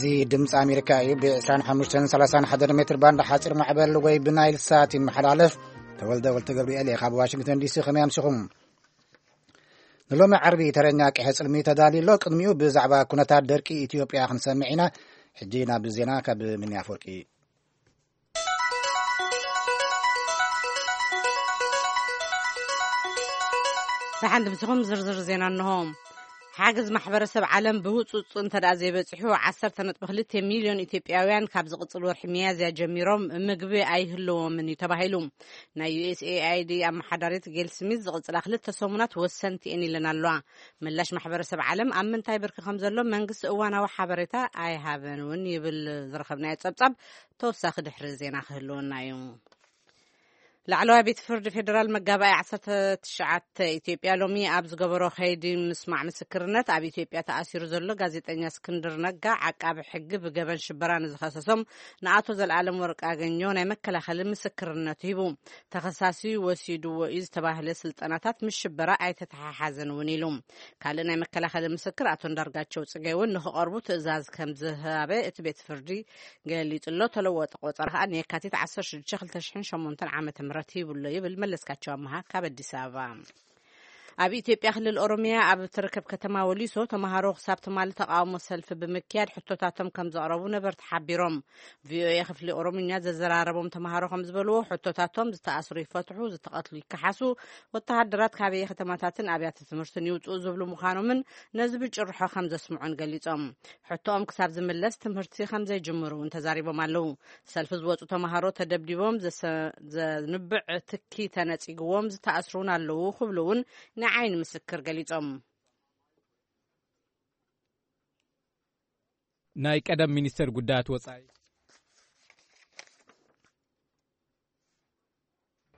እዚ ድምፂ ኣሜሪካ እዩ። ብ ዕስራን ሓሙሽተን ሰላሳን ሓደ ሜትር ባንድ ሓፂር ማዕበል ወይ ብናይል ሳት ይመሓላለፍ። ተወልደ ወልተ ገብርኤል እየ ካብ ዋሽንግተን ዲሲ። ከመይ ኣምሲኹም? ንሎሚ ዓርቢ ተረኛ ቀሐ ጽልሚ ተዳልዩ ኣሎ። ቅድሚኡ ብዛዕባ ኩነታት ደርቂ ኢትዮጵያ ክንሰምዕ ኢና። ሕጂ ናብ ዜና ካብ ሚኒ ኣፈወርቂ። ደሓን ድምስኹም። ዝርዝር ዜና እንሆ። ሓገዝ ማሕበረሰብ ዓለም ብህጹጽ እንተ ደኣ ዘይበጺሑ፣ ዓሰርተ ነጥቢ ክልተ ሚልዮን ኢትዮጵያውያን ካብ ዝቕጽል ወርሒ ሚያዝያ ጀሚሮም ምግቢ ኣይህልዎምን እዩ ተባሂሉ። ናይ ዩ ኤስ ኤ ኣይ ዲ ኣመሓዳሪት ጌል ስሚዝ ዝቕጽላ ክልተ ሰሙናት ወሰንቲ እየን ኢለን ኣለዋ። ምላሽ ማሕበረሰብ ዓለም ኣብ ምንታይ ብርኪ ከም ዘሎ መንግስቲ እዋናዊ ሓበሬታ ኣይሃበን እውን ይብል ዝረኸብናዮ ጸብጻብ። ተወሳኺ ድሕሪ ዜና ክህልወና እዩ። ላዕለዋይ ቤት ፍርዲ ፌደራል መጋባእያ ዓሰርተ ትሽዓተ ኢትዮጵያ ሎሚ ኣብ ዝገበሮ ከይዲ ምስማዕ ምስክርነት ኣብ ኢትዮጵያ ተኣሲሩ ዘሎ ጋዜጠኛ እስክንድር ነጋ ዓቃቢ ሕጊ ብገበን ሽበራ ንዝኸሰሶም ንኣቶ ዘልኣለም ወርቅኣገኘሁ ናይ መከላኸሊ ምስክርነት ሂቡ። ተኸሳሲ ወሲድዎ እዩ ዝተባህለ ስልጠናታት ምስ ሽበራ ኣይተተሓሓዘን እውን ኢሉ። ካልእ ናይ መከላኸሊ ምስክር ኣቶ እንዳርጋቸው ጽጌ እውን ንክቐርቡ ትእዛዝ ከም ዝሃበ እቲ ቤት ፍርዲ ገሊጹ ኣሎ። ተለወጠ ቆጸራ ከኣ ንየካቲት ዓሰርተ ሽዱሽተ ክልተ ሽሕን ሸሞንተን ዓመተ ምህረት ይብሎ ይብል መለስካቸው ኣመሃ ካብ ኣዲስ ኣበባ። ኣብ ኢትዮጵያ ክልል ኦሮሚያ ኣብ እትርከብ ከተማ ወሊሶ ተምሃሮ ክሳብ ትማሊ ተቃውሞ ሰልፊ ብምክያድ ሕቶታቶም ከም ዘቕረቡ ነበርቲ ሓቢሮም። ቪኦኤ ክፍሊ ኦሮምኛ ዘዘራረቦም ተምሃሮ ከም ዝበልዎ ሕቶታቶም ዝተኣስሩ ይፈትሑ፣ ዝተቐትሉ ይከሓሱ፣ ወተሃደራት ካበየ ከተማታትን ኣብያተ ትምህርትን ይውፅኡ ዝብሉ ምዃኖምን ነዚ ብጭርሖ ከም ዘስምዑን ገሊጾም። ሕቶኦም ክሳብ ዝምለስ ትምህርቲ ከም ዘይጅምሩ እውን ተዛሪቦም ኣለዉ። ሰልፊ ዝወጹ ተምሃሮ ተደብዲቦም፣ ዘሰ-፣ ዘንብዕ ትኪ ተነጺግዎም፣ ዝተኣስሩ እውን ኣለዉ ክብሉ እውን ንዓይኒ ምስክር ገሊጾም። ናይ ቀደም ሚኒስተር ጉዳያት ወጻኢ።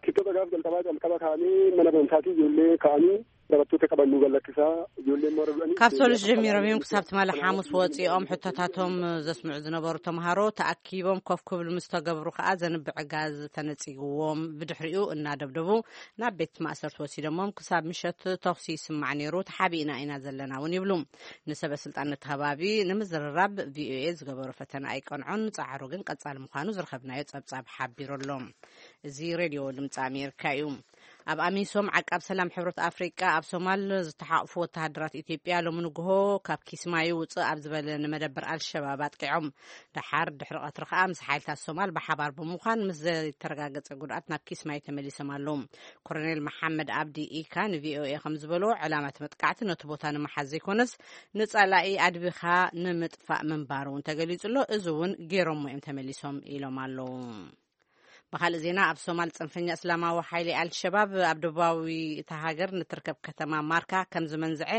Kibxata gaaf jalqabaa calqaba kaanii mana barumsaatii ijoollee kaanii barattoota qabannuu gad lakkisaa ijoolleen moora du'anii ካብ ሶሉስ ጀሚሮም እዮም ክሳብ ትማሊ ሓሙስ ወፂኦም ሕቶታቶም ዘስምዑ ዝነበሩ ተምሃሮ ተኣኪቦም ኮፍ ክብሉ ምስ ተገብሩ ከዓ ዘንብዕ ጋዝ ተነፂግዎም ብድሕሪኡ እናደብደቡ ናብ ቤት ማእሰርቲ ወሲዶሞም ክሳብ ምሸት ተኹሲ ይስማዕ ነይሩ ተሓቢእና ኢና ዘለና እውን ይብሉ። ንሰበ ስልጣን ነቲ ከባቢ ንምዝርራብ ቪኦኤ ዝገበሮ ፈተነ ኣይቀንዖን። ፃዕሩ ግን ቀፃሊ ምዃኑ ዝረኸብናዮ ፀብፃብ ሓቢሩ ኣሎ። እዚ ሬድዮ ድምፂ ኣሜሪካ እዩ። ኣብ ኣሚሶም ዓቃብ ሰላም ሕብረት ኣፍሪቃ ኣብ ሶማል ዝተሓቕፉ ወተሃደራት ኢትዮጵያ ሎሚ ንግሆ ካብ ኪስማዩ ውፅእ ኣብ ዝበለ ንመደበር ኣልሸባብ ኣጥቂዖም። ደሓር ድሕሪ ቀትሪ ከዓ ምስ ሓይልታት ሶማል ብሓባር ብምዃን ምስ ዘይተረጋገፀ ጉድኣት ናብ ኪስማዩ ተመሊሶም ኣለዉ። ኮሎኔል መሓመድ ኣብዲ ኢካ ንቪኦኤ ከም ዝበሎ ዕላማ እቲ መጥቃዕቲ ነቲ ቦታ ንምሓዝ ዘይኮነስ ንጸላኢ ኣድቢኻ ንምጥፋእ ምንባሩ እውን ተገሊጹ ኣሎ። እዚ እውን ገይሮሞ እዮም ተመሊሶም ኢሎም ኣለዉ። ብኻልእ ዜና ኣብ ሶማል ጽንፈኛ እስላማዊ ሓይሊ ኣልሸባብ ኣብ ደቡባዊ እታ ሃገር ንትርከብ ከተማ ማርካ ከም ዝመንዝዐ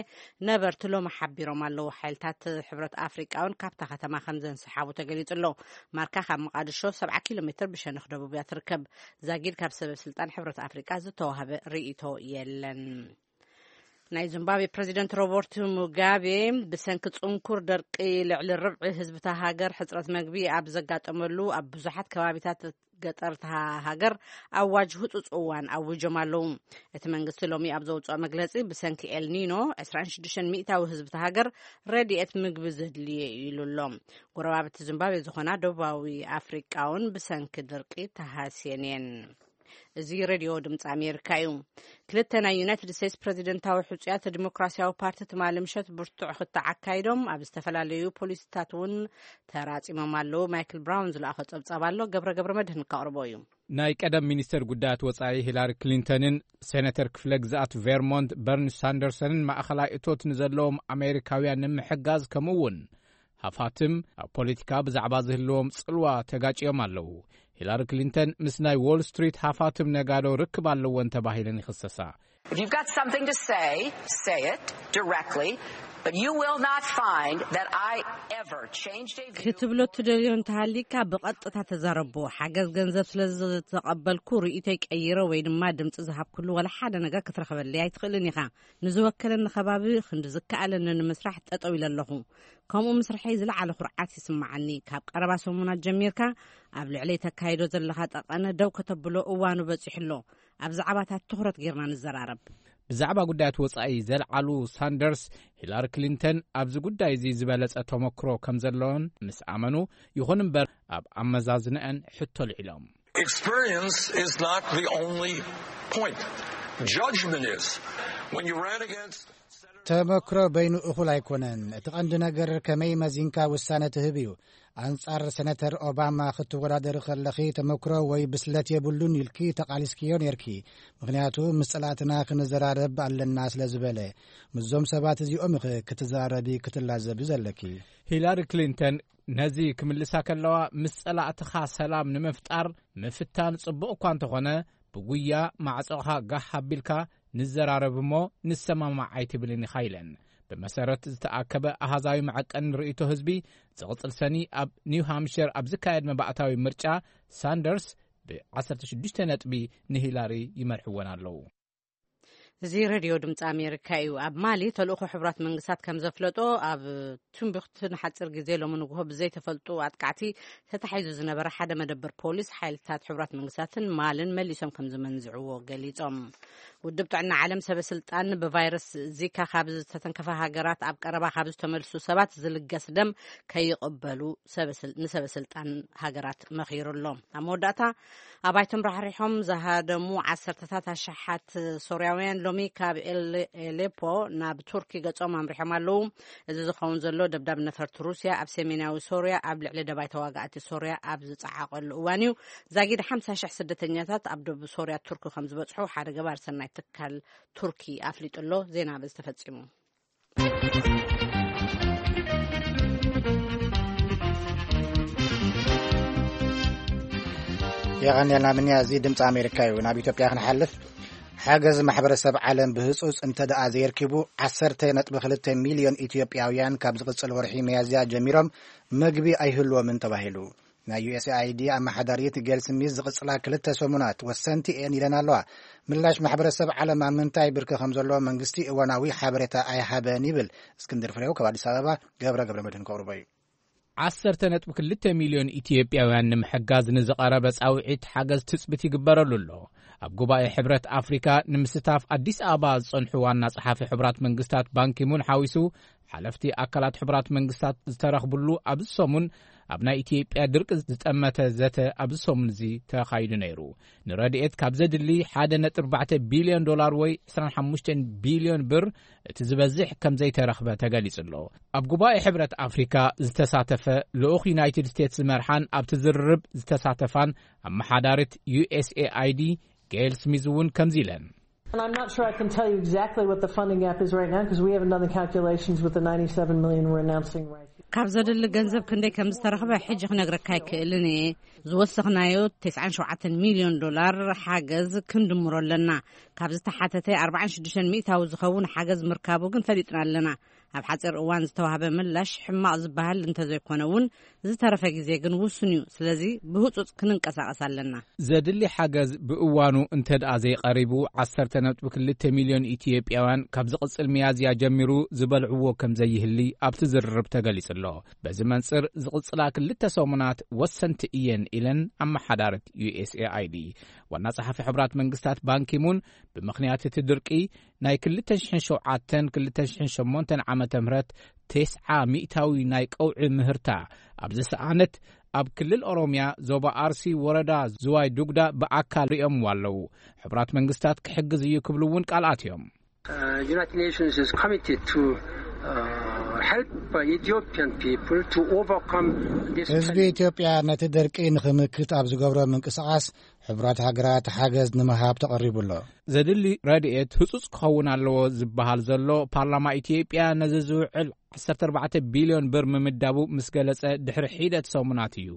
ነበርቲ ሎሚ ሓቢሮም ኣለዉ። ሓይልታት ሕብረት ኣፍሪቃ እውን ካብታ ከተማ ከም ዘንሰሓቡ ተገሊጹ ኣሎ። ማርካ ካብ መቓድሾ ሰብዓ ኪሎ ሜትር ብሸነኽ ደቡብ እያ ትርከብ። ዛጊድ ካብ ሰበ ስልጣን ሕብረት ኣፍሪቃ ዝተዋህበ ርእይቶ የለን። ናይ ዚምባብዌ ፕረዚደንት ሮበርት ሙጋቤ ብሰንኪ ጽንኩር ደርቂ ልዕሊ ርብዒ ህዝቢ እታ ሃገር ሕጽረት መግቢ ኣብ ዘጋጠመሉ ኣብ ብዙሓት ከባቢታት ገጠር እታ ሃገር ኣዋጅ ህጹጽ እዋን ኣዊጆም ኣለዉ። እቲ መንግስቲ ሎሚ ኣብ ዘውጽኦ መግለጺ ብሰንኪ ኤልኒኖ ዕስራን ሽዱሽተን ሚእታዊ ህዝቢ እታ ሃገር ረድኤት ምግቢ ዘድልየ እዩ ኢሉ ኣሎ። ጎረባብቲ ዚምባብዌ ዝኾና ደቡባዊ ኣፍሪቃ እውን ብሰንኪ ድርቂ ተሃስየን እየን። እዚ ሬድዮ ድምፂ ኣሜሪካ እዩ። ክልተ ናይ ዩናይትድ ስቴትስ ፕረዚደንታዊ ሕፁያት ዲሞክራሲያዊ ፓርቲ ትማሊ ምሸት ብርቱዕ ክትዕ ኣካይዶም ኣብ ዝተፈላለዩ ፖሊሲታት እውን ተራፂሞም ኣለዉ። ማይክል ብራውን ዝለኣኸ ፀብፃብ ኣሎ። ገብረ ገብረ መድህን ካቕርቦ እዩ። ናይ ቀደም ሚኒስተር ጉዳያት ወጻኢ ሂላሪ ክሊንተንን ሴነተር ክፍለ ግዝኣት ቬርሞንት በርኒ ሳንደርሰንን ማእኸላይ እቶት ንዘለዎም ኣሜሪካውያን ንምሕጋዝ ከምኡ እውን ሃፋትም ኣብ ፖለቲካ ብዛዕባ ዝህልዎም ጽልዋ ተጋጭዮም ኣለዉ። ሂላሪ ክሊንተን ምስ ናይ ዎል ስትሪት ሃፋትም ነጋዶ ርክብ ኣለወን ተባሂለን ይኽሰሳ። If you've got something to say, say it directly, but you will not find that I ever changed a view ክትብሎ ትደልዮ እንተሃሊካ ብቐጥታ ተዛረቦ። ሓገዝ ገንዘብ ስለ ዝተቐበልኩ ርእይቶይ ቀይረ ወይ ድማ ድምፂ ዝሃብኩሉ ወላ ሓደ ነገር ክትረኽበለይ ኣይትኽእልን ኢኻ። ንዝወከለኒ ከባቢ ክንዲ ዝከኣለኒ ንምስራሕ ጠጠው ኢለ ኣለኹ። ከምኡ ምስርሐይ ዝለዓለ ኩርዓት ይስምዓኒ። ካብ ቀረባ ሰሙናት ጀሚርካ ኣብ ልዕለይ ተካይዶ ዘለኻ ጠቐነ ደው ከተብሎ እዋኑ በጺሑ ኣሎ። ኣብ ዛዕባታት ትኹረት ጌርና ንዘራረብ። ብዛዕባ ጉዳያት ወጻኢ ዘልዓሉ ሳንደርስ፣ ሂላሪ ክሊንተን ኣብዚ ጉዳይ እዚ ዝበለጸ ተመክሮ ከም ዘለዎን ምስ ኣመኑ፣ ይኹን እምበር ኣብ ኣመዛዝነአን ሕቶ ልዒሎም። Experience is not the only point. Judgment is. When you ran against ተመክሮ በይኑ እኹል ኣይኮነን። እቲ ቀንዲ ነገር ከመይ መዚንካ ውሳነ ትህብ እዩ። ኣንጻር ሰነተር ኦባማ ክትወዳደሪ ከለኺ ተመክሮ ወይ ብስለት የብሉን ኢልኪ ተቓሊስክዮ ኔርኪ። ምኽንያቱ ምስ ጸላእትና ክንዘራረብ ኣለና ስለ ዝበለ። ምስዞም ሰባት እዚኦም ኢኺ ክትዘራረቢ ክትላዘቢ ዘለኪ። ሂላሪ ክሊንተን ነዚ ክምልሳ ከለዋ፣ ምስ ጸላእትኻ ሰላም ንምፍጣር ምፍታን ጽቡቕ እኳ እንተኾነ፣ ብጉያ ማዕጾኻ ጋሕ ኣቢልካ ንዘራረብ እሞ ንሰማማዕ ኣይትብልን ኢኻ ኢለን። ብመሰረት ዝተኣከበ ኣሃዛዊ መዐቀኒ ርእይቶ ህዝቢ፣ ዝቕጽል ሰኒ ኣብ ኒው ሃምሽር ኣብ ዝካየድ መባእታዊ ምርጫ፣ ሳንደርስ ብ16 ነጥቢ ንሂላሪ ይመርሕወን ኣለዉ። እዚ ሬድዮ ድምፂ ኣሜሪካ እዩ። ኣብ ማሊ ተልእኾ ሕቡራት መንግስታት ከም ዘፍለጦ፣ ኣብ ቱምቢክቱ ንሓፂር ግዜ ሎሚ ንግሆ ብዘይተፈልጡ ኣጥቃዕቲ ተታሒዙ ዝነበረ ሓደ መደበር ፖሊስ ሓይልታት ሕቡራት መንግስታትን ማልን መሊሶም ከም ዝመንዝዕዎ ገሊጾም። ውድብ ጥዕና ዓለም ሰበ ስልጣን ብቫይረስ ዚካ ካብ ዝተተንከፈ ሃገራት ኣብ ቀረባ ካብ ዝተመልሱ ሰባት ዝልገስ ደም ከይቕበሉ ሰበ ስል-፣ ንሰበ ስልጣን ሃገራት መኺሩ ኣሎ። ኣብ መወዳእታ፣ ኣባይቶም ራሕሪሖም ዝሃደሙ ዓሰርተታት ኣሽሓት ሶርያውያን ሎሚ ካብ ኤል-፣ ኤሌፖ ናብ ቱርኪ ገጾም ኣምሪሖም ኣለዉ። እዚ ዝኸውን ዘሎ ደብዳብ ነፈርቲ ሩስያ ኣብ ሰሜናዊ ሶርያ ኣብ ልዕሊ ደባይ ተዋጋእቲ ሶርያ ኣብ ዝጸዓቐሉ እዋን እዩ። ዛጊድ ሓምሳ ሽሕ ስደተኛታት ኣብ ደቡብ ሶርያ ቱርኪ ከም ዝበጽሑ ሓደ ገባር ሰናይ ትካል ቱርኪ ኣፍሊጡ ኣሎ። ዜና በዚ ተፈጺሙ። የቐንየልና ምንያ፣ እዚ ድምፂ ኣሜሪካ እዩ። ናብ ኢትዮጵያ ክንሓልፍ፣ ሓገዝ ማሕበረሰብ ዓለም ብህፁፅ እንተ ደኣ ዘየርኪቡ፣ 12 ሚልዮን ኢትዮጵያውያን ካብ ዝቕፅል ወርሒ ሚያዝያ ጀሚሮም መግቢ ኣይህልዎምን ተባሂሉ። ናይ ዩ ኤስ ኤ ኣይ ዲ ኣመሓዳሪት ጌል ስሚዝ ዝቕፅላ ክልተ ሰሙናት ወሰንቲ እየን ኢለን ኣለዋ። ምላሽ ማሕበረሰብ ዓለም ኣብ ምንታይ ብርኪ ከም ዘሎ መንግስቲ እዋናዊ ሓበሬታ ኣይሃበን ይብል። እስክንድር ፍሬው ካብ ኣዲስ ኣበባ፣ ገብረ ገብረ መድህን ከቕርቦ እዩ። 12 ሚልዮን ኢትዮጵያውያን ንምሕጋዝ ንዝቐረበ ጻውዒት ሓገዝ ትጽቢት ይግበረሉ ኣሎ። ኣብ ጉባኤ ሕብረት ኣፍሪካ ንምስታፍ ኣዲስ ኣበባ ዝጸንሑ ዋና ጸሓፊ ሕቡራት መንግስታት ባንኪሙን ሓዊሱ፣ ሓለፍቲ ኣካላት ሕቡራት መንግስታት ዝተረኽብሉ ኣብዚ ሰሙን፣ ኣብ ናይ ኢትዮጵያ ድርቂ ዝጠመተ ዘተ ኣብዚ ሰሙን እዚ ተኻይዱ ነይሩ። ንረድኤት ካብ ዘድሊ 1.4 ቢልዮን ዶላር ወይ 25 ቢልዮን ብር እቲ ዝበዝሕ ከም ዘይተረኽበ ተገሊጹ ኣሎ። ኣብ ጉባኤ ሕብረት ኣፍሪካ ዝተሳተፈ ልኡኽ ዩናይትድ ስቴትስ ዝመርሓን ኣብቲ ዝርርብ ዝተሳተፋን ኣመሓዳሪት ዩ ኤስ ኤ ኣይ ዲ ጌል ስሚዝ እውን ከምዚ ኢለን። And I'm not sure I can tell you exactly what the funding gap is right now because we haven't done the calculations with the ninety-seven million we're announcing right here. ካብ ዘድሊ ገንዘብ ክንደይ ከም ዝተረኽበ ሕጂ ክነግረካ ኣይክእልን እየ። ዝወሰኽናዮ 97 ሚልዮን ዶላር ሓገዝ ክንድምሮ ኣለና። ካብ ዝተሓተተ 46 ሚእታዊ ዝኸውን ሓገዝ ምርካቡ ግን ፈሊጥና ኣለና። ኣብ ሓፂር እዋን ዝተዋህበ ምላሽ ሕማቕ ዝበሃል እንተዘይኮነ እውን፣ ዝተረፈ ግዜ ግን ውሱን እዩ። ስለዚ ብህፁፅ ክንንቀሳቐስ ኣለና። ዘድሊ ሓገዝ ብእዋኑ እንተ ደኣ ዘይቐሪቡ፣ 12.2 ሚልዮን ኢትዮጵያውያን ካብ ዝቕጽል ሚያዝያ ጀሚሩ ዝበልዕዎ ከም ዘይህሊ ኣብቲ ዝርርብ ተገሊጹ ኣሎ። በዚ መንጽር፣ ዝቕጽላ ክልተ ሰሙናት ወሰንቲ እየን ኢለን ኣመሓዳሪት ዩ ኤስ ኤ ኣይ ዲ። ዋና ጸሓፊ ሕቡራት መንግስታት ባንኪሙን፣ ብምኽንያት እቲ ድርቂ ናይ 2007-2008 ዓመተ ምህረት 90 ሚእታዊ ናይ ቀውዒ ምህርታ ኣብ ዝሰኣነት፣ ኣብ ክልል ኦሮምያ ዞባ ኣርሲ ወረዳ ዝዋይ ዱግዳ ብኣካል ሪኦምዎ ኣለዉ። ሕቡራት መንግስታት ክሕግዝ እዩ ክብሉ እውን ቃል ኣትዮም። Uh, United Nations is committed to uh, help Ethiopian people to overcome this ህዝቢ challenge. ኢትዮጵያ ነቲ ደርቂ ንኽምክት ኣብ ዝገብሮ ምንቅስቓስ፣ ሕቡራት ሃገራት ሓገዝ ንምሃብ ተቐሪቡ ኣሎ። ዘድሊ ረድኤት ህጹጽ ክኸውን ኣለዎ ዝበሃል ዘሎ፣ ፓርላማ ኢትዮጵያ ነዚ ዝውዕል 14 ቢልዮን ብር ምምዳቡ ምስ ገለጸ ድሕሪ ሒደት ሰሙናት እዩ።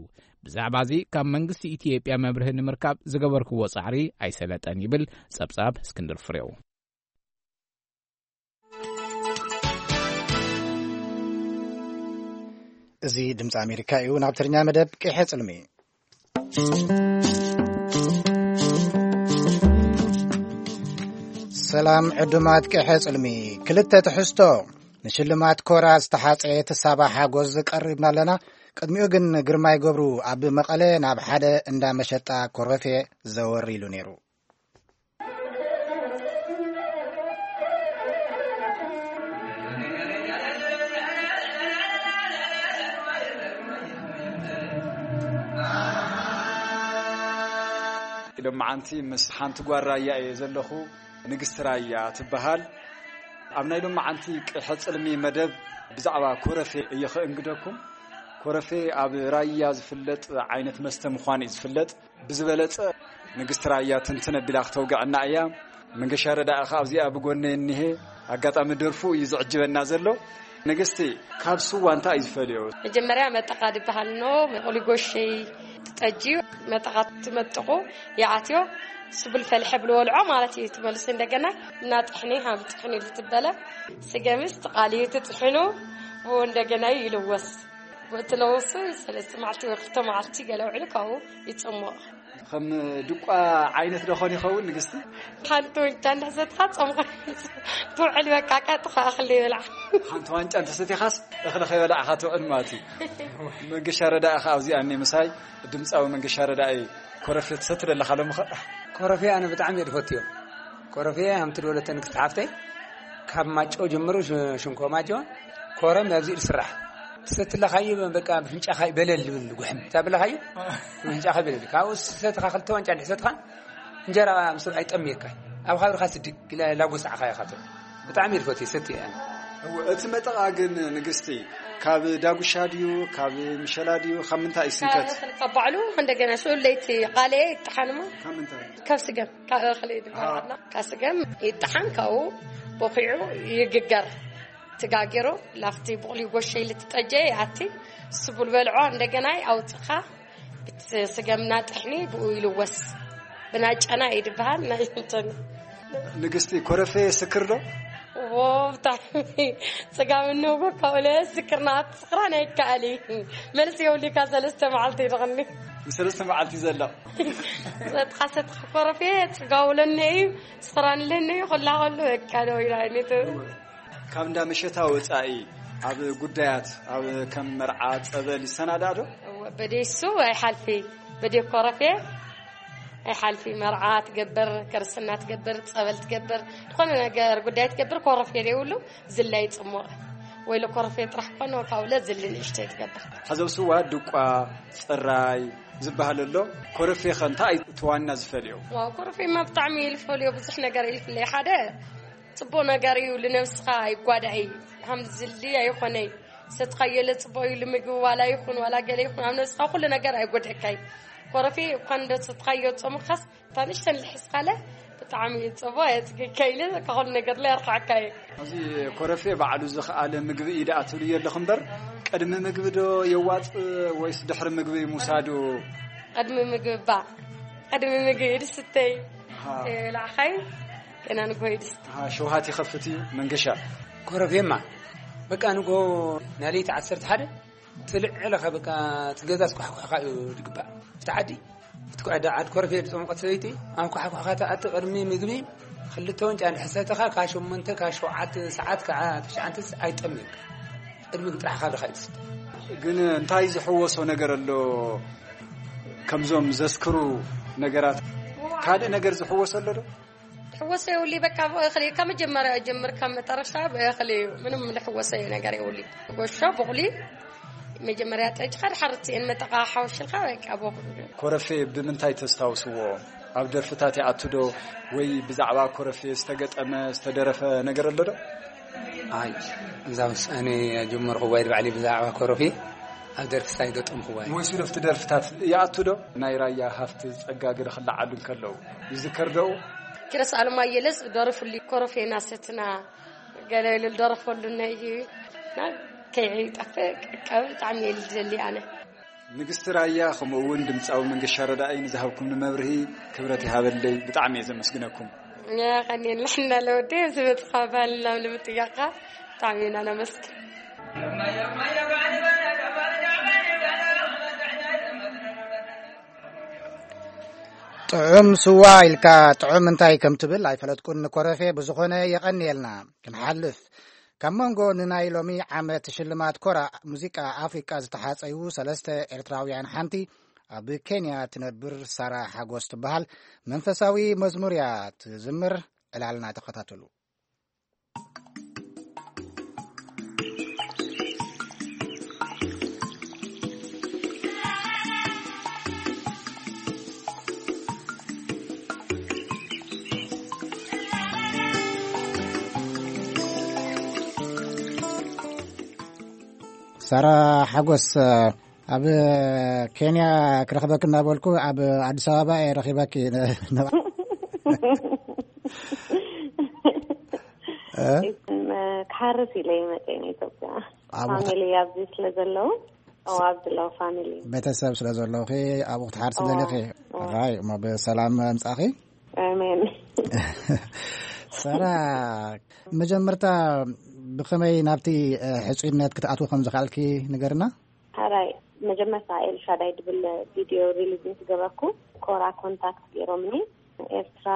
ብዛዕባ እዚ ካብ መንግስቲ ኢትዮጵያ መብርሂ ንምርካብ ዝገበርክዎ ጻዕሪ ኣይሰለጠን ይብል ጸብጻብ እስክንድር ፍሬው። እዚ ድምፂ ኣሜሪካ እዩ። ናብ ትግርኛ መደብ ቅሐ ጽልሚ። ሰላም ዕዱማት ቅሐ ጽልሚ። ክልተ ትሕዝቶ። ንሽልማት ኮራ ዝተሓጸየት ሳባ ሓጎስ ቀሪብና ኣለና። ቅድሚኡ ግን ግርማይ ገብሩ ኣብ መቐለ ናብ ሓደ እንዳ መሸጣ ኮረፌ ዘወር ኢሉ ነይሩ። ሎመዓንቲ ምስ ሓንቲ ጓል ራያ እየ ዘለኹ፣ ንግስቲ ራያ ትበሃል። ኣብ ናይ ሎመዓንቲ ቅሐ ጽልሚ መደብ ብዛዕባ ኮረፌ እየ ክእንግደኩም። ኮረፌ ኣብ ራያ ዝፍለጥ ዓይነት መስተ ምዃኑ እዩ ዝፍለጥ። ብዝበለጸ ንግስቲ ራያ ትንትን ኣቢላ ክተውግዐና እያ። መንገሻ ረዳኢ ኸኣ ኣብዚኣ ብጎነይ እኒሄ። ኣጋጣሚ ደርፉ እዩ ዝዕጅበና ዘሎ። ንግስቲ፣ ካብ ስዋ እንታይ እዩ ዝፈልዮ? መጀመርያ መጠቓ ዝበሃል ኖ፣ መቑሊ ጎሸይ ትጠጅዩ፣ መጠቓ ትመጥቑ፣ ይኣትዮ፣ ስቡል ፈልሐ ብልወልዖ ማለት እዩ። ትመልሱ እንደገና እና ጥሕኒ ሃም ጥሕኒ ልትበለ፣ ስገምስ ትቓልዩ ትጥሕኑ፣ ብኡ እንደገና ይልወስ። ብኡ ትለውሱ ሰለስተ መዓልቲ ወይ ክልተ መዓልቲ ገለ ውዕሉ ካብኡ ይጽሙቕ። ከም ድቋ ዓይነት ዶ ኾን ይኸውን ንግስቲ? ሓንቲ ዋንጫ እንዳሰትኻ ጾምኻ ትውዕል፣ በቃ ቀጥታ እኽሊ ይብላዕ። ሓንቲ ዋንጫ እንተሰቲኻስ እኽሊ ከይበላዕኻ ትውዕል ማለት እዩ። መንገሻ ረዳኢ ኸዓ ኣብዚኣ እኒ ምሳይ፣ ድምፃዊ መንገሻ ረዳኢ። ኮረፌ ትሰቲ ደለኻ ሎሚ ኸ? ኮረፌ ኣነ ብጣዕሚ እየ ዝፈትዮ። ኮረፌ ከምቲ ድበለቶ ንግስቲ ሓፍተይ፣ ካብ ማጮ ጀምሩ፣ ሽ-፣ ሽንኮ ማጮ፣ ኮረም ኣብዚ ዝስራሕ። ትሰትለኻዮ በቃ ብፍንጫኻ በለል ዝብል ጉሕም። እታ በለኻዮ ብፍንጫኻ በለል። ካብኡ ሰትኻ ክልተ ዋንጫ እንድሕር ሰትኻ እንጀራ ምስ ኣይጠምየካ። ኣብ ኻብርኻ ስድግ ኢላ ላጎስዓኻ ኢኻ ትብል። ብጣዕሚ እየ ዝፈትዮ፣ ሰትየ ኣነ። እወ፣ እቲ መጠቓ ግን ንግስቲ፣ ካብ ዳጉሻ ድዩ፣ ካብ ምሸላ ድዩ፣ ካብ ምንታይ እዩ ካብ ዝስንከት? እኽሊ፣ ካብ ባዕሉ እንደገና ስኡል ለይቲ ቃልየ ይጠሓንሞ። ካብ ምንታይ? ካብ ስገም፣ ካብ እኽሊ ዝበሃል። ካብ ስገም ይጠሓን፣ ካብኡ ቦኺዑ ይግገር። ተጋጊሩ ላፍቲ ብቑሊ ጎሸ ኢሉ ትጠጀ ይኣቲ፣ ስቡል በልዖ እንደገና ኣውፅኻ ብቲ ስገምና ጥሕኒ ብኡ ይልወስ። ብናጨና እዩ ዝበሃል፣ ናይ እንትን። ንግስቲ፣ ኮረፌ ስክር ዶ? ዎ፣ ብጣዕሚ። ስጋብ እንውጎ ካብኡ ለ ስክርና ትስኽራን ኣይከኣል እዩ። መልሲ የብሉካ፣ ሰለስተ መዓልቲ ይድቕኒ። ንሰለስተ መዓልቲ ዘሎ። ሰትኻ ሰትኻ ኮረፌ ስጋው ለኒ እዩ፣ ስኽራን ለኒ እዩ፣ ኩላ ከሉ በቃ ደው ኢላ ኣይነት። ካብ እንዳ መሸታ ወጻኢ ኣብ ጉዳያት፣ ኣብ ከም መርዓ፣ ጸበል ይሰናዳእ ዶ? እወ፣ በደይ እሱ ኣይሓልፊ፣ በደይ ኮረፌ ኣይሓልፊ። መርዓ ትገብር፣ ክርስትና ትገብር፣ ጸበል ትገብር፣ ዝኾነ ነገር ጉዳይ ትገብር፣ ኮረፌ ዘይብሉ ዝላይ ጽሙቕ። ወይ ለኮረፌ ጥራሕ ኮነ፣ ካብኡ ለዝሊ ንእሽተይ ትገብር። ሓዘብ ስዋ፣ ድቋ፣ ጽራይ ዝበሃል ኣሎ። ኮረፌ ኸ እንታይ እዩ እቲ ዋና ዝፈልዮ? ዋው፣ ኮረፌማ ብጣዕሚ እዩ ዝፈልዮ፣ ብዙሕ ነገር እዩ ዝፍለይ። ሓደ ጽቡቕ ነገር እዩ፣ ልነብስኻ ኣይጓዳእ እዩ። ሃም ዝሊ ኣይኾነይ። ሰትኻዮ ለጽቡቕ እዩ፣ ልምግቢ ዋላ ይኹን ዋላ ገለ ይኹን፣ ኣብ ነብስኻ ኩሉ ነገር ኣይጎድእካይ። ኮረፌ እኳ እንደ ሰትኻዮ ጾምኻስ፣ እታ ንእሽተን ልሕስኻለ ብጣዕሚ እዩ ጽቡቕ፣ የጽግካ ኢለ፣ ካብ ኩሉ ነገር ላይ ኣርካዕካ እዩ። እዚ ኮረፌ ባዕሉ ዝኸኣለ ምግቢ እዩ ደኣ ትብልዮ ኣለኹ እምበር፣ ቅድሚ ምግቢ ዶ የዋጽእ ወይስ ድሕሪ ምግቢ ምውሳዱ? ቅድሚ ምግቢ ባ፣ ቅድሚ ምግቢ ድስተይ። ኣሃ። የብላዕኻይ፣ ገና ንግሆ ይድስት። ኣሃ፣ ሸውሃት ይኸፍት እዩ መንገሻ። ኮረፌማ፣ በቃ ንግሆ ናይ ለይቲ ዓሰርተ ሓደ ትልዕለኻ፣ በቃ እቲ ገዛ ስኳሕኳሕካ እዩ ዝግባእ። እቲ ዓዲ፣ እቲ ኩዕዳ ዓድ ኮረፌ ዝጠመቐት ሰበይቲ፣ ኣብ ኳሕኳሕካ ትኣቲ። ቅድሚ ምግቢ ክልተ ወንጫ እንድሕር ሰተኻ፣ ካብ ሸሞንተ፣ ካብ ሸውዓተ ሰዓት፣ ካብ ትሽዓተ ኣይጠምየካ። ቅድሚ ጥራሕ ካብ ድኻ ይትስተ። ግን እንታይ ዝሕወሶ ነገር ኣሎ? ከምዞም ዘስክሩ ነገራት ካልእ ነገር ዝሕወሶ ኣሎ ዶ? ትሕወሶ የብሉይ፣ በቃ ብእኽሊ ካብ መጀመርያ ጀምር ካብ መጠረሻ ብእኽሊ እዩ። ምንም ልሕወሶ ነገር የብሉይ። ጎሾ፣ ቡቕሊ፣ መጀመርያ ጠጅኻ ድሓር እትኤን መጠቓ ሓወሽልካ በቃ ብእኽሊ። ኮረፌ ብምንታይ ተስታውስዎ? ኣብ ደርፍታት ይኣቱ ዶ? ወይ ብዛዕባ ኮረፌ ዝተገጠመ፣ ዝተደረፈ ነገር ኣሎ ዶ? ኣይ፣ እዛ ውሳኔ ጀመርኩዋ ኢድ ባዕሊ ብዛዕባ ኮረፌ ኣብ ደርፍስ ኣይገጠምኩዋ። ወይ ሱደፍቲ ደርፍታት ይኣቱ ዶ? ናይ ራያ ሃፍቲ ጸጋ ገለ ክለዓሉ እንከለዉ ይዝከር ዶ? ኪሮስ ኣለማየለስ ደረፉሉ ኮረፌና ሰትና ገለ ኢሉ ዝደረፈሉ ነይ እና ከይጠፍእ ቀብ ብጣዕሚ እየ ዝደሊ ኣነ። ንግስቲ ራያ ከምኡ እውን ድምፃዊ መንገሻ ረዳኢ ንዝሃብኩምኒ መብርሂ ክብረት ይሃበለይ። ብጣዕሚ እየ ዘመስግነኩም። የቐንየልና ለወዲ ዝመፅኻ ባህልና ንምጥያቕካ ብጣዕሚ ኢና ነመስግን። ጥዑም ስዋ ኢልካ ጥዑም እንታይ ከም ትብል ኣይፈለጥኩን። ንኮረፌ ብዝኾነ የቐንየልና። ክንሓልፍ፣ ካብ መንጎ ንናይ ሎሚ ዓመት ሽልማት ኮራ ሙዚቃ ኣፍሪቃ ዝተሓጸዩ ሰለስተ ኤርትራውያን ሓንቲ ኣብ ኬንያ ትነብር ሳራ ሓጎስ ትበሃል መንፈሳዊ መዝሙር እያ ትዝምር። ዕላልና ተኸታተሉ። ሳራ ሓጎስ፣ ኣብ ኬንያ ክረኽበክ እናበልኩ ኣብ ኣዲስ ኣበባ እየ ረኺበኪ። እ? ክሓርስ ኢለ ይመፀ ኢትዮጵያ። ኣብ ፋሚሊ ኣብዚ ስለ ዘለዉ፣ ኣብ ዘለዉ ፋሚሊ። ቤተሰብ ስለ ዘለውኺ ኣብኡ ክትሓርሲ ደሊኺ? ራይ እሞ ብሰላም ምጻኺ። ኣሜን። ሰራ፣ መጀመርታ ብኸመይ ናብቲ ሕጹይነት ክትኣትዎ ከም ዝኽኣልኪ ንገርና። ሓራይ፣ መጀመርታ ኤልሻዳይ ድብል ቪድዮ ሪሊዝ ምስ ገበርኩ፣ ኮራ ኮንታክት ገይሮምኒ። ኤርትራ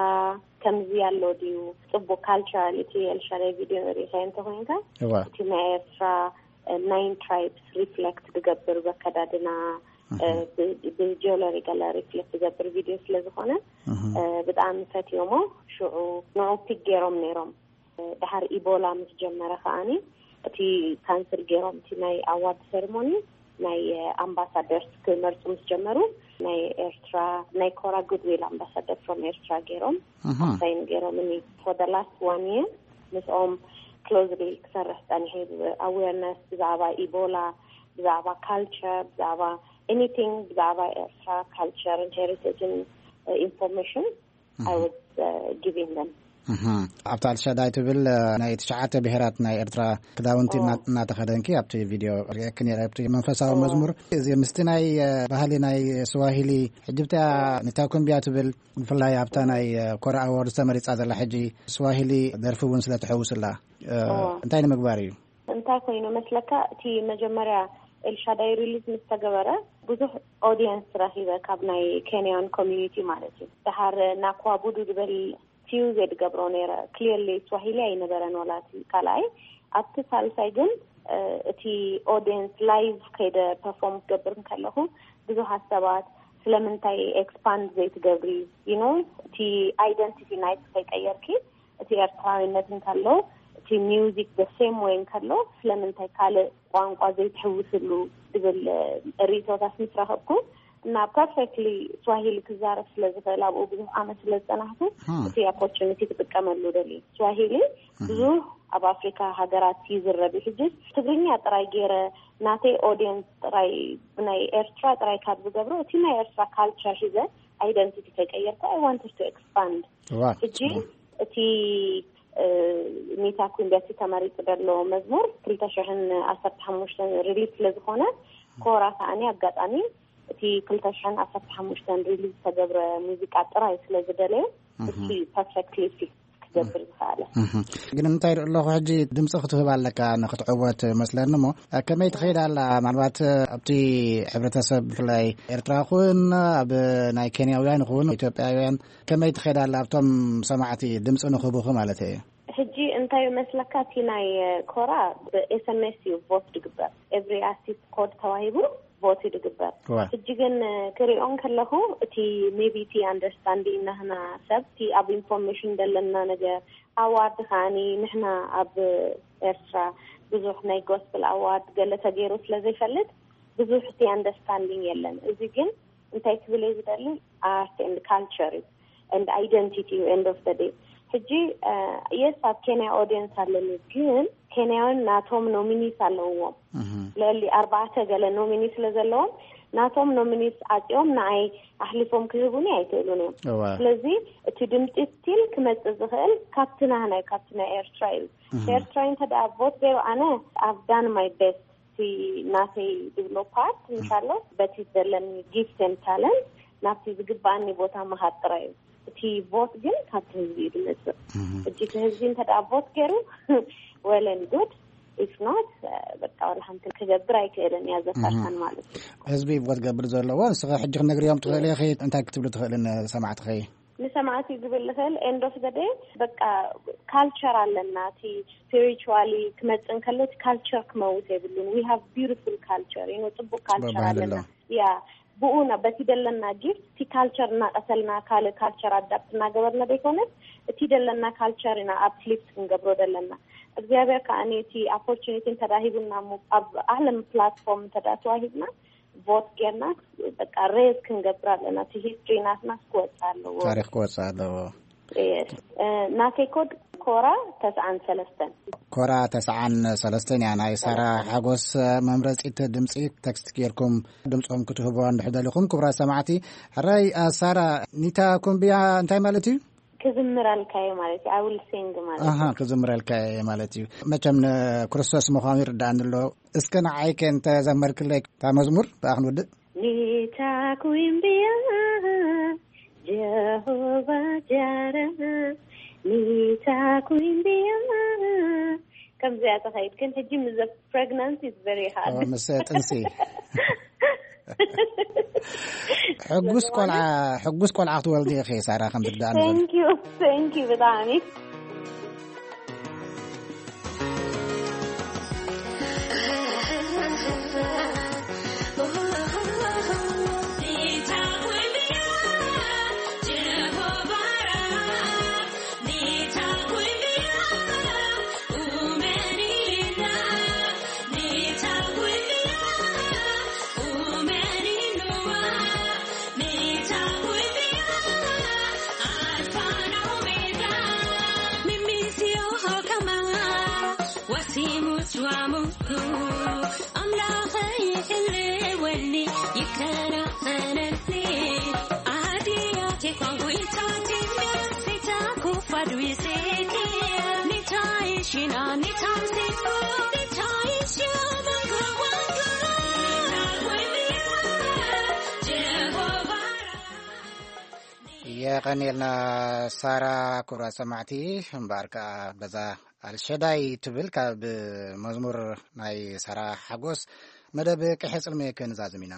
ከምዚ ኣሎ ድዩ፣ ጽቡቅ ካልቸራል፣ እቲ ኤልሻዳይ ቪድዮ ሪኢኻ እንተኾይንካ፣ እዋ። እቲ ናይ ኤርትራ ናይን ትራይብስ ሪፍሌክት ዝገብር በከዳድና፣ ብጂኦሎጂ ገለ ሪፍሌክት ዝገብር ቪድዮ ስለ ዝኾነ፣ ብጣዕሚ ፈትዮሞ። ሽዑ ንዑ ፒክ ገይሮም ነይሮም። ድሓር ኢቦላ ምስ ጀመረ ከዓኒ፣ እቲ ካንስል ገይሮም፣ እቲ ናይ ኣዋርድ ሴሪሞኒ ናይ ኣምባሳደርስ ክመርፁ ምስ ጀመሩ፣ ናይ ኤርትራ፣ ናይ ኮራ ጉድዊል ኣምባሳደር ፍሮም ኤርትራ ገይሮም፣ ሳይን ገይሮም። እኒ for the last one year ምስኦም ክሎዝሊ ክሰርሕ ጸኒሐ። ኣዌርነስ ብዛዕባ ኢቦላ፣ ብዛዕባ ካልቸር፣ ብዛዕባ ኤኒቲንግ፣ ብዛዕባ ኤርትራ ካልቸር ን ሄሪቴጅን ኢንፎርሜሽን I was giving them። ኣብታ ኣልሻዳይ ትብል ናይ ትሽዓተ ብሄራት ናይ ኤርትራ ክዳውንቲ እናተኸደንኪ ኣብቲ ቪድዮ ርኤኪ ነይረ፣ ኣብቲ መንፈሳዊ መዝሙር። እዚ ምስቲ ናይ ባህሊ ናይ ስዋሂሊ፣ ሕጂ ብታ ኒታኩምቢያ ትብል፣ ብፍላይ ኣብታ ናይ ኮራ ኣዋርድ ተመሪጻ ዘላ ሕጂ ስዋሂሊ ደርፊ እውን ስለ ትሕውስላ፣ እንታይ ንምግባር እዩ? እንታይ ኮይኑ መስለካ፣ እቲ መጀመርያ ኤልሻዳይ ሪሊዝ ምስ ተገበረ ብዙሕ ኦዲየንስ ረኺበ ካብ ናይ ኬንያን ኮሚኒቲ ማለት እዩ። ድሓር ናኳ ቡዱ ዝበል ፊው ዘድገብሮ ነይረ። ክሊርሊ ስዋሂሊ ኣይነበረን ወላ እቲ ካልኣይ። ኣብቲ ሳልሳይ ግን እቲ ኦዲየንስ ላይቭ ከይደ ፐርፎርም ክገብር እንከለኹ ብዙሓት ሰባት ስለምንታይ ኤክስፓንድ ዘይትገብሪ፣ you know፣ እቲ ኣይደንቲቲ ናይት ከይቀየርኪ እቲ ኤርትራዊነት እንከሎ፣ እቲ ሚውዚክ the same way እንከሎ ስለምንታይ ካልእ ቋንቋ ዘይትሕውስሉ ዝብል ርእይቶታት ምስ ረኸብኩ፣ እና ፐርፌክትሊ ስዋሂሊ ክዛረብ ስለ ዝኽእል፣ ኣብኡ ብዙሕ ዓመት ስለ ዝጸናሕኩ፣ እቲ ኦፖርቹኒቲ ክጥቀመሉ ደልየ። ስዋሂሊ ብዙሕ ኣብ ኣፍሪካ ሃገራት ይዝረብ እዩ። ሕጂ ትግርኛ ጥራይ ገይረ ናተይ ኦዲየንስ ጥራይ ናይ ኤርትራ ጥራይ ካብ ዝገብሮ፣ እቲ ናይ ኤርትራ ካልቸር ሒዘ ኣይደንቲቲ ከይቀየርኩ፣ I wanted to expand። ሕጂ እቲ ኒታ ኩምቢያ እቲ ተመሪጹ ዘሎ መዝሙር ክልተ ሽሕን ዓሰርተ ሓሙሽተን ሪሊዝ ስለ ዝኾነ፣ ኮራ ከዓኒ ኣጋጣሚ እቲ ክልተ ሽሕን ዓሰርተ ሓሙሽተን ሪሊዝ ዝተገብረ ሙዚቃ ጥራይ ስለ ዝደለየ፣ እቲ ፐርፌክትሊ ፊት ክገብር ዝኸኣለ። ግን እንታይ ርኢ ኣለኹ፣ ሕጂ ድምፂ ክትህብ ኣለካ ንክትዕወት መስለኒ። እሞ ከመይ ትኸይድ ኣላ? ምናልባት ኣብቲ ሕብረተሰብ ብፍላይ ኤርትራ ይኹን ኣብ ናይ ኬንያውያን ይኹን ኢትዮጵያውያን ከመይ ትኸይድ ኣላ ኣብቶም ሰማዕቲ ድምፂ ንክህቡኺ ማለት እየ? ሕጂ እንታይ መስለካ፣ እቲ ናይ ኮራ ብኤስኤምኤስ እዩ ቮት ድግበር። ኤቭሪ ኣርቲስት ኮድ ተዋሂቡ ቮት እዩ ድግበር። ሕጂ ግን ክሪኦ እንከለኹ፣ እቲ ሜቢ እቲ ኣንደርስታንዲንግ ናህና ሰብ፣ እቲ ኣብ ኢንፎርሜሽን ዘለና ነገር፣ ኣዋርድ ከዓኒ ንሕና ኣብ ኤርትራ ብዙሕ ናይ ጎስፕል ኣዋርድ ገለ ተገይሩ ስለ ዘይፈልጥ ብዙሕ እቲ ኣንደርስታንዲንግ የለን። እዚ ግን እንታይ ክብል እየ ዝደሊ፣ ኣርት ኤንድ ካልቸር እዩ ኤንድ ኣይደንቲቲ እዩ ኤንድ ኦፍ ደ ዴይ። ሕጂ የስ ኣብ ኬንያ ኦዲየንስ ኣለኒ፣ ግን ኬንያውን ናቶም ኖሚኒስ ኣለውዎም። ልዕሊ ኣርባዕተ ገለ ኖሚኒ ስለ ዘለዎም ናቶም ኖሚኒስ ዓፂኦም ንኣይ ኣሕሊፎም ክህቡኒ ኣይክእሉን እዮም። ስለዚ እቲ ድምፂ ስቲል ክመፅእ ዝኽእል ካብቲ ናህናይ ካብቲ ናይ ኤርትራ እዩ። ኤርትራዊ እንተ ደኣ ቮት ገይሩ ኣነ I've done my best። እቲ ናተይ ድብሎ ፓርት ምሻሎ በቲ ዘለኒ ጊፍት ኤንድ ታለንት ናብቲ ዝግባኣኒ ቦታ ምሃብ ጥራይ እዩ። እቲ ቮት ግን ካብቲ ህዝቢ እዩ ዝመፅእ። ሕጂ እቲ ህዝቢ እንተ ደኣ ቮት ገይሩ well and good፣ if not በቃ ዋላ ሓንቲ ክገብር ኣይክእልን እያ ዘካርታን ማለት እዩ። ህዝቢ ቮት ገብር ዘለዎ ንስኸ ሕጂ ክነግርዮም ትኽእል ኢኺ እንታይ ክትብሉ ትኽእልን ሰማዕትኸይ? ንሰማዕቲ ክብል ዝኽእል end of the day በቃ ካልቸር ኣለና። እቲ ስፒሪቹዋሊ ክመፅእ እንከሎ እቲ ካልቸር ክመውት የብሉን። We have beautiful culture፣ you know፣ ፅቡቅ ካልቸር ኣለና። ያ ብኡ በቲ ደለና ጊፍት እቲ ካልቸር እናቀሰልና ካልእ ካልቸር ኣዳፕት እናገበርና ዘይኮነስ እቲ ደለና ካልቸር ኢና ኣፕሊፍት ክንገብሮ ደለና። እግዚኣብሔር ከዓ እቲ ኣፖርቹኒቲ እንተዳሂቡና ኣብ ዓለም ፕላትፎርም እንተዳ ተዋሂብና ቮት ጌርና በቃ ሬዝ ክንገብር ኣለና። እቲ ሂስትሪ ናትና ክወፅእ ኣለዎ። ታሪክ ክወፅእ ኣለዎ። ናተይ ኮድ ኮራ ተስዓን ሰለስተን። ኮራ ተስዓን ሰለስተን እያ። ናይ ሳራ ሓጎስ መምረፂት ድምፂ ቴክስት ጌርኩም ድምፅኹም ክትህቡ እንድሕር ደሊኹም፣ ክቡራት ሰማዕቲ። ሕራይ፣ አ፣ ሳራ፣ ኒታ ኩምብያ እንታይ ማለት እዩ? ክዝምረልካ እየ ማለት እዩ። I will sing ማለት እዩ። ኣሃ፣ ክዝምረልካ እየ ማለት እዩ። መቸም ንክርስቶስ ምዃኑ ይርዳእኒ ኣሎ። እስከ ንዓይ ከ እንተዘመርክለይ እታ መዝሙር ብኣ ክንውድእ። ኒታ ኩምብያ ጀሆቫ ጃራ፣ ኒታ ኩምብያ። ከምዚኣ ተኸይድ ግን ሕጂ ምስ the pregnancy is very hard። ኦ፣ ምስ ጥንሲ። ሕጉስ ቆልዓ፣ ሕጉስ ቆልዓ ክትወልዲ ኢኺ ሳራ፣ ከም ዝርዳእኒ ዘሎ። Thank you፣ thank you ብጣዕሚ። የቐንየልና ሳራ። ክቡራት ሰማዕቲ፣ እምበኣር ከኣ በዛ ኣልሸዳይ ትብል ካብ መዝሙር ናይ ሳራ ሓጎስ መደብ ቅሐ ጽልሚ ክንዛዝም ኢና።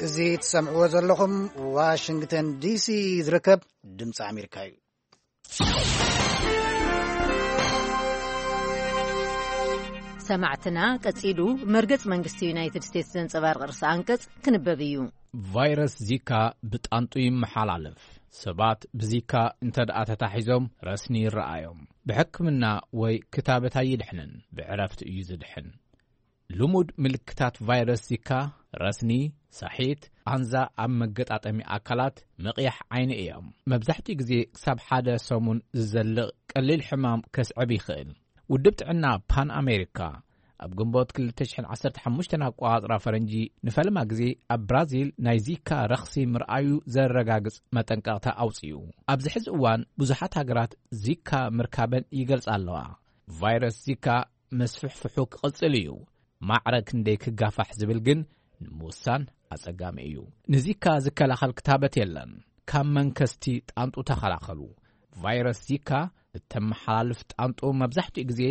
እዚ ትሰምዕዎ ዘለኹም ዋሽንግተን ዲሲ ዝርከብ ድምፂ ኣሜሪካ እዩ። ሰማዕትና፣ ቀጺሉ መርገጽ መንግስቲ ዩናይትድ ስቴትስ ዘንጸባርቕ ርእሰ ኣንቀጽ ክንበብ እዩ። ቫይረስ ዚካ ብጣንጡ ይመሓላለፍ። ሰባት ብዚካ እንተ ደኣ ተታሒዞም ረስኒ ይረኣዮም። ብሕክምና ወይ ክታበት ኣይድሕንን፣ ብዕረፍቲ እዩ ዝድሕን። ልሙድ ምልክታት ቫይረስ ዚካ ረስኒ፣ ሳሒት፣ ቃንዛ ኣብ መገጣጠሚ ኣካላት፣ ምቕያሕ ዓይኒ እዮም። መብዛሕትኡ ግዜ ክሳብ ሓደ ሰሙን ዝዘልቕ ቀሊል ሕማም ከስዕብ ይኽእል። ውድብ ጥዕና ፓን ኣሜሪካ ኣብ ግንቦት ክልተ ሽሕን ዓሰርተ ሓሙሽተን ኣቆጻጽራ ፈረንጂ ንፈለማ ግዜ ኣብ ብራዚል ናይ ዚካ ረኽሲ ምርኣዩ ዘረጋግጽ መጠንቀቕታ ኣውጺኡ። ኣብዚ ሕዚ እዋን ብዙሓት ሃገራት ዚካ ምርካበን ይገልጻ ኣለዋ። ቫይረስ ዚካ መስፍሕፍሑ ክቕጽል እዩ። ማዕረ ክንደይ ክጋፋሕ ዝብል ግን ንምውሳን ኣጸጋሚ እዩ። ንዚካ ዝከላኸል ክታበት የለን። ካብ መንከስቲ ጣንጡ ተኸላኸሉ። ቫይረስ ዚካ እተመሓላልፍ ጣንጡ መብዛሕትኡ ግዜ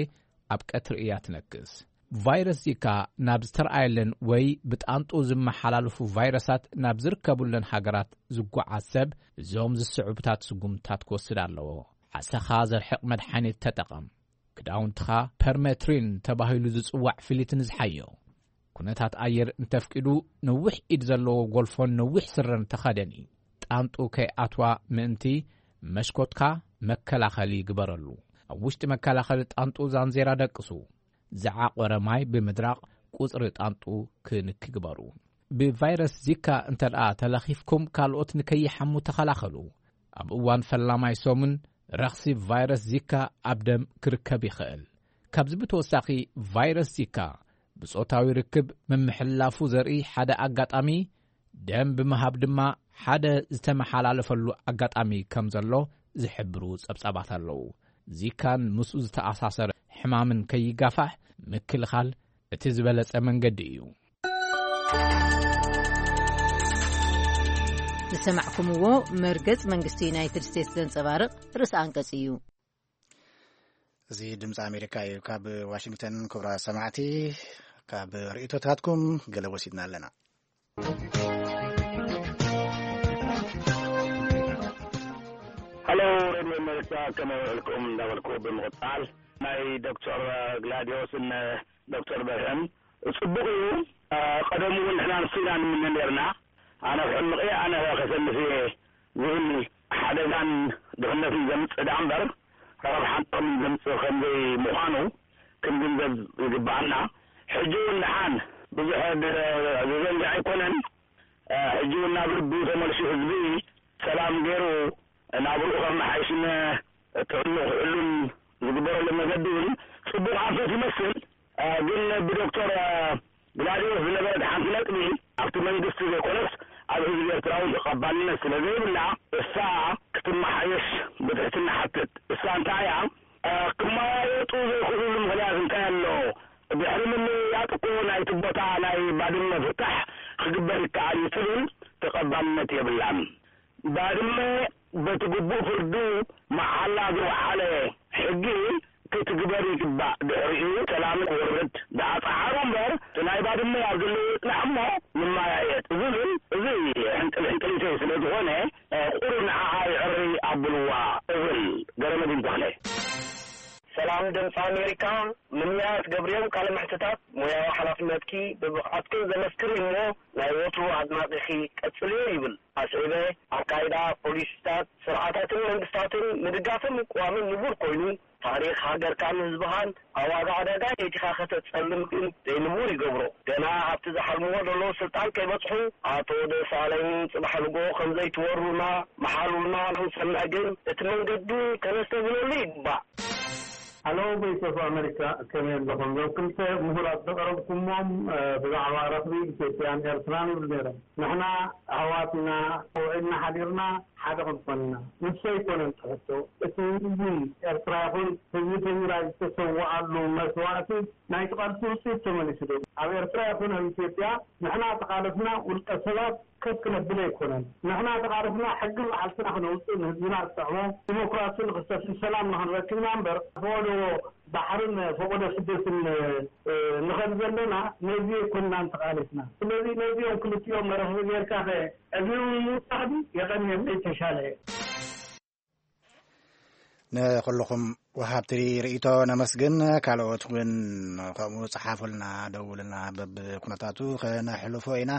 ኣብ ቀትሪ እያ ትነክስ። ቫይረስ ዚካ ናብ ዝተረኣየለን ወይ ብጣንጡ ዝመሓላለፉ ቫይረሳት ናብ ዝርከቡለን ሃገራት ዝጓዓዝ ሰብ እዞም ዝስዕቡታት ስጉምትታት ክወስድ ኣለዎ። ዓሰኻ ዘርሕቕ መድሓኒት ተጠቐም። ክዳውንትኻ ፐርሜትሪን ተባሂሉ ዝጽዋዕ ፍሊት ንዝሓዮ። ኩነታት ኣየር እንተፍቂዱ፣ ነዊሕ ኢድ ዘለዎ ጎልፎን ነዊሕ ስረን ተኸደኒ። ጣንጡ ከይኣትዋ ምእንቲ መሽኮትካ መከላኸሊ ግበረሉ። ኣብ ውሽጢ መከላኸሊ ጣንጡ ዛንዜራ ደቅሱ። ዝዓቖረ ማይ ብምድራቕ ቁጽሪ ጣንጡ ክንኪ ግበሩ። ብቫይረስ ዚካ እንተ ደኣ ተለኺፍኩም፣ ካልኦት ንከይሓሙ ተኸላኸሉ። ኣብ እዋን ፈላማይ ሰሙን፣ ረኽሲ ቫይረስ ዚካ ኣብ ደም ክርከብ ይኽእል። ካብዚ ብተወሳኺ፣ ቫይረስ ዚካ ብጾታዊ ርክብ ምምሕልላፉ ዘርኢ ሓደ ኣጋጣሚ፣ ደም ብምሃብ ድማ ሓደ ዝተመሓላለፈሉ ኣጋጣሚ ከም ዘሎ ዝሕብሩ ጸብጻባት ኣለዉ። ዚካን ምስኡ ዝተኣሳሰረ ሕማምን ከይጋፋሕ ምክልኻል እቲ ዝበለጸ መንገዲ እዩ። ዝሰማዕኩምዎ መርገጽ መንግስቲ ዩናይትድ ስቴትስ ዘንጸባርቕ ርእሰ ኣንቀጽ እዩ። እዚ ድምፂ ኣሜሪካ እዩ። ካብ ዋሽንግተን ክቡራት ሰማዕቲ፣ ካብ ርእይቶታትኩም ገለ ወሲድና ኣለና። ሃሎ፣ ሬድዮ ኣሜሪካ፣ ከመይ ውዕልኩም እንዳበልኩ ብምቕጻል፣ ናይ ዶክተር ግላዲዮስን ዶክተር በርሀን ጽቡቕ እዩ። አ፣ ቀደም እውን ንሕና ንሱ ኢና ንምነ ነርና። ኣነ ክሕምቕ እየ፣ ኣነ ከሰንፍ እየ ዝብል ሓደጋን ድኽነትን ዘምጽእ ደኣ እምበር፣ ረብሓን ጥቕምን ዘምጽእ ከም ዘይምዃኑ ክንግንዘብ ይግብኣና። ሕጂ እውን ደሓን ብዙሕ ድ-፣ ዘዘንግዕ ኣይኮነን። አ፣ ሕጂ እውን ናብ ልቡ ተመልሱ፣ ህዝቢ ሰላም ገይሩ ናብርኡ ከመሓይሽን ጥዕንኡ ክሕሉን ዝግበረሉ መገዲ እውን ጽቡቕ ኣንፈት ይመስል። አ፣ ግን ብዶክተር፣ አ፣ ግላዲዮስ ዝነበረት ሓንቲ ነጥቢ፣ ኣብቲ መንግስቲ ዘይኮነስ ኣብ ህዝቢ ኤርትራ እውን ተቐባልነት ስለ ዘይብላ፣ እሳ ክትመሓየሽ ብትሕትና ሓትት። እሳ እንታይ እያ? አ፣ ክመያየጡ ዘይክእልሉ ምኽንያት እንታይ ኣሎ? ድሕሪ ምምይያጥ እኮ ናይቲ ቦታ ናይ ባድመ ፍታሕ ክግበር ይከኣል እዩ ትብል ተቐባልነት የብላን። ባድመ በቲ ግቡእ ፍርዱ መዓላ ዝወዓለ ሕጊ ክትግበር ይግባእ። ድሕሪኡ ሰላም ክወርድ ደኣ ጸዓሩ እምበር፣ እቲ ናይ ባድመ ኣብ ዘለዎ ይጽናሕ እሞ ንመያየጥ ዝብል፣ እዚ ሕንቅል ሕንቅሊተይ ስለ ዝኾነ፣ ቁሩብ ንዓኣ ይዕሪ ኣብልዋ እብል። ገረመዲን ተኽለ። ሰላም ድምፂ ኣሜሪካ፣ ምንያት ገብርዮም ቃለ መሕትታት ሞያዊ ሓላፍነትኪ ብብቕዓትክን ዘመስክር እዩ እሞ ናይ ወትሩ ኣድናቒኺ ቀጽልዮ ይብል። ኣስዒበ፣ ኣካይዳ፣ ፖሊሲታት፣ ስርዓታትን መንግስታትን ምድጋፍን ምቅዋምን ንቡር ኮይኑ፣ ታሪኽ ሃገርካን ህዝብኻን ኣብ ዋጋ ዕዳጋ የእቲኻ ከተጸልም ግን ዘይንቡር ይገብሮ። ገና ኣብቲ ዝሓልምዎ ዘለዉ ስልጣን ከይበጽሑ፣ ኣቶ ደሳለኝ ጽባሕ ንግሆ ከም ዘይትወሩና መሓሉልና ክንሰምዕ ግን እቲ መንገዲ ከነስተብህለሉ ይግባእ። ሃሎ፣ ቮይስ ኦፍ ኣሜሪካ፣ ከመይ ኣለኹም? እዞም ክልተ ምሁራት ዘቕረብኩሞም፣ እ፣ ብዛዕባ ረኽቢ ኢትዮጵያን ኤርትራን ይብሉ ነይሮም። ንሕና ኣሕዋት ኢና፣ ውዒልና ሓዲርና ሓደ ክንኮን ኢና። ንሱ ኣይኮነን እቲ ሕቶ። እቲ ህዝቢ ኤርትራ ይኹን ህዝቢ ትግራይ ዝተሰውኣሉ መስዋእቲ ናይቲ ቃልሲ ውፅኢት ተመሊሱ ዶ? ኣብ ኤርትራ ይኹን ኣብ ኢትዮጵያ ንሕና ተቓለስና ውልቀ ሰባት ከፍ ክነብል ኣይኮነን። ንሕና ተቓለስና ሕጊ መዓልትና ክነውፅእ፣ ንህዝብና ዝጥዕሞ ዲሞክራሲ ንክሰፍን ሰላም ንክንረክብና እምበር፣ ፈቐዶ ባሕርን ፈቐዶ ስደትን፣ እ፣ ንኸድ ዘለና ነዚ ኣይኮንናን ተቓሊስና። ስለዚ ነዚኦም ክልቲኦም መራኽቢ ጌርካ ኸ ዕድሚኦም ምውሳኽ ድዩ? የቐንየለይ፣ ተሻለ። ንኹልኹም ወሃብቲ ርእይቶ ነመስግን። ካልኦት እውን ከምኡ ጸሓፉልና፣ ደውልና፣ በብኩነታቱ ከነሕልፎ ኢና።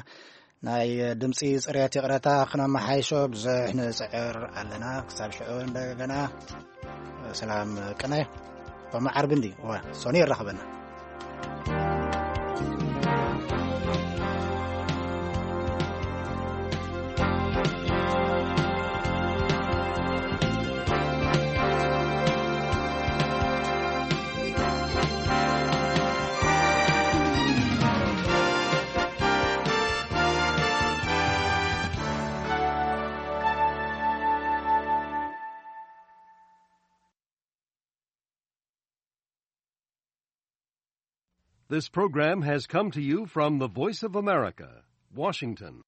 ናይ ድምጺ ጽሬት ይቕረታ ክነመሓይሾ ብዙሕ ንጽዕር ኣለና። ክሳብ ሽዑ እንደገና ሰላም ቅነ። ሎሚ ዓርቢ እንዲ፣ እወ፣ ሶኒ የራኽበና። This program has come to you from the Voice of America, Washington.